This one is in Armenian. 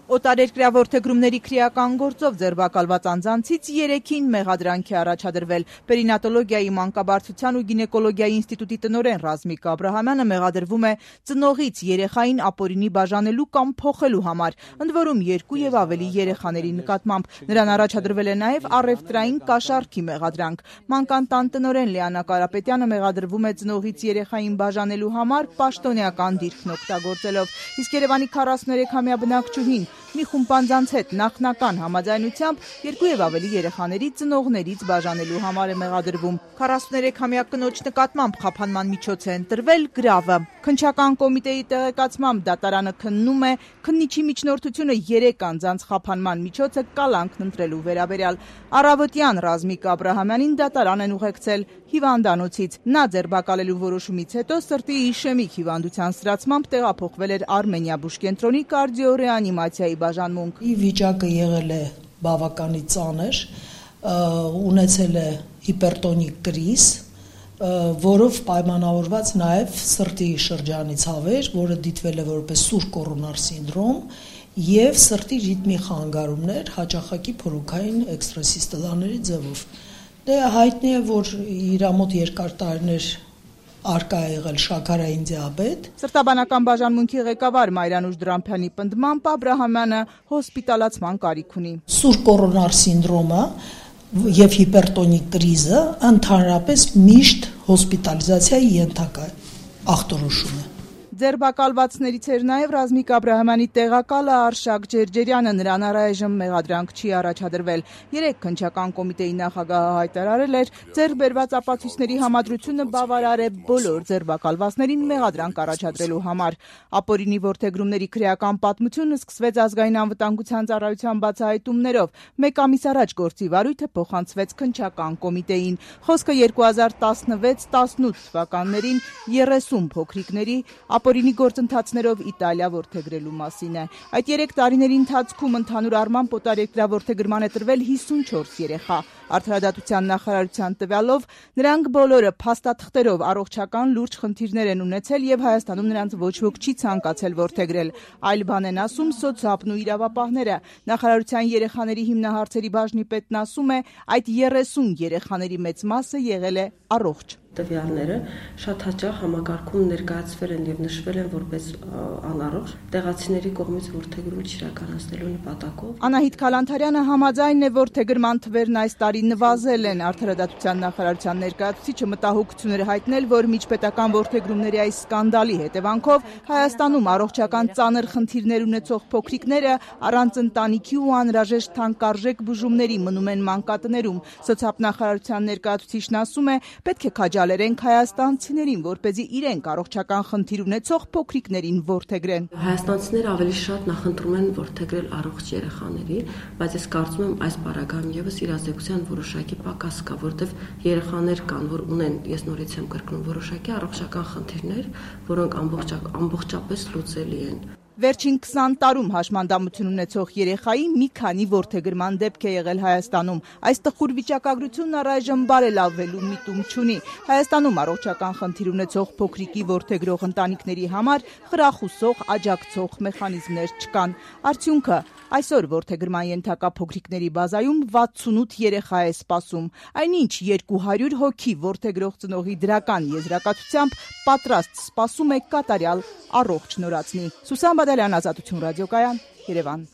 Օտարերկրյա որդեգրումների քրեական գործով ձերբակալված անձանցից 3-ին մեղադրանք է առաջադրվել։ Պերինատոլոգիայի, մանկաբարձության ու գինեկոլոգիայի ինստիտուտի տնօրեն Ռազմիկ Աբրահամյանը մեղադրվում է ծնողից երեխային ապօրինի բաժանելու կամ փոխելու համար, ընդ որում 2 եւ ավելի երեխաների նկատմամբ։ Նրան առաջադրվել է նաեւ առևտրային կաշառքի մեղադրանք։ Մանկատան տնօրեն Լիանա Կարապետյանը մեղադրվում է ծնողից երեխային բաժանելու համար պաշտոնեական դիրքն օգտագործելով, իսկ Երևանի 43-ամյա բնակչուհին մի խումբ անձանց հետ նախնական համաձայնությամբ 2 եւ ավելի երեխաների ծնողներից բաժանելու համար է մեղադրվում։ 43-ամյա կնոջ նկատմամբ խափանման միջոց է ընտրվել գրավը։ Քննչական կոմիտեի տեղեկացմամբ դատարանը քննում է քննիչի միջնորդությունը 3 անձանց խափանման միջոցը կալանքն ընտրելու վերաբերյալ։ Առավոտյան Ռազմիկ Աբրահամյանին դատարան են ուղեկցել հիվանդանոցից։ Նա ձերբակալելու որոշումից հետո սրտի իշեմիկ հիվանդության ստացմամբ տեղափոխվել էր Արմենիա բուժկենտրոնի կարդիոռեանիմացիայի բաժանմունք։ Վիճակը եղել է բավականին ծանր, ունեցել է հիպերտոնիկ կրիզ, որով պայմանավորված նաև սրտի շրջանի ցավեր, որը դիտվել է որպես սուր կորոնար սինդրոմ, եւ սրտի ռիթմի խանգարումներ հաճախակի փորոքային էքստրասիստոլաների ձևով։ Դե հայտնի է, որ իր մոտ երկար տարիներ արկա է եղել շաքարային դիաբետ։ Սրտաբանական բաժանմունքի ղեկավար Մայրանուշ Դրամփյանի պնդմամբ Աբրահամյանը հոսպիտալացման կարիք ունի։ Սուր կորոնար սինդրոմը եւ հիպերտոնիկ կրիզը ընդհանրապես միշտ հոսպիտալիզացիայի ենթակա ախտորոշում է։ Ձերբակալվածներից էր նաև Ռազմիկ Աբրահամյանի տեղակալը Արշակ Ջերջերյանը, նրան առայժմ մեղադրանք չի առաջադրվել։ 3 քննչական կոմիտեի նախագահը հայտարարել էր, ձեռքբերված ապացույցների համադրությունը բավարար է բոլոր ձերբակալվածներին մեղադրանք առաջադրելու համար։ Ապօրինի որդեգրումների քրեական պատմությունը սկսվեց ազգային անվտանգության ծառայության բացահայտումներով։ 1 ամիս առաջ գործի վարույթը փոխանցվեց քննչական կոմիտեին։ Խոսքը 2016-18 թվականներին 30 փոքրիկների ապօրինի գործընթացներով Իտալիա որդեգրելու մասին է։ Այդ 3 տարիների ընթացքում ընդհանուր առմամբ օտարերկրյա որդեգրման է տրվել 54 երեխա։ Արդարադատության նախարարության տվյալով նրանք բոլորը փաստաթղթերով առողջական լուրջ խնդիրներ են ունեցել եւ Հայաստանում նրանց ոչ ոք չի ցանկացել որդեգրել։ Այլ բան են ասում սոցիալն ու իրավապահները։ Նախարարության երեխաների հիմնահարցերի բաժնի պետն ասում է, այդ 30 երեխաների մեծ մասը եղել է առողջ։ Տվյալները շատ հաճախ համակարգում ներկայացվել են եւ նշվել են որպես անառողջ տեղացիների կողմից որդեգրում չիրականացնելու նպատակով։ Անահիտ Քալանթարյանը համաձայն է, որ որդեգրման թվերն այս տարի նվազել են։ Արդարադատության նախարարության ներկայացուցիչը մտահոգություն էր հայտնել, որ միջպետական որդեգրումների այս սկանդալի հետևանքով Հայաստանում առողջական ծանր խնդիրներ ունեցող փոքրիկները առանց ընտանիքի ու անհրաժեշտ թանկարժեք բուժումների մնում են մանկատներում։ Սոցիալնախարարության ներկայացուցիչն ասում է, պետք է քաջալերենք հայաստանցիներին, որպեսզի իրենք առողջական խնդիր ունեցող փոքրիկներին որդեգրեն։ Հայաստանցիները ավելի շատ նախընտրում են որդեգրել առողջ երեխաների, բայց ես կարծում եմ այս պարագայում եւս իրազեկության որոշակի պակաս կա, որտեղ երեխաներ կան, որ ունեն, ես նորից եմ կրկնում, որոշակի առողջական խնդիրներ, որոնք ամբողջապես լուծելի են։ Վերջին 20 տարում հաշմանդամություն ունեցող երեխայի մի քանի որդեգրման դեպք է եղել Հայաստանում։ Այս տխուր վիճակագրությունն առայժմ բարելավվելու միտում չունի։ Հայաստանում առողջական խնդիր ունեցող փոքրիկի որդեգրող ընտանիքների համար խրախուսող, աջակցող մեխանիզմներ չկան։ Արդյունքը այսօր որդեգրման ենթակա փոքրիկների բազայում 68 երեխա է սպասում։ Այնինչ 200 հոգի որդեգրող ծնողի դրական եզրակացությամբ պատրաստ սպասում է կատարյալ առողջ նորածնի։ Սուսան Բադալյան, Ազատություն ռադիոկայան, Երևան։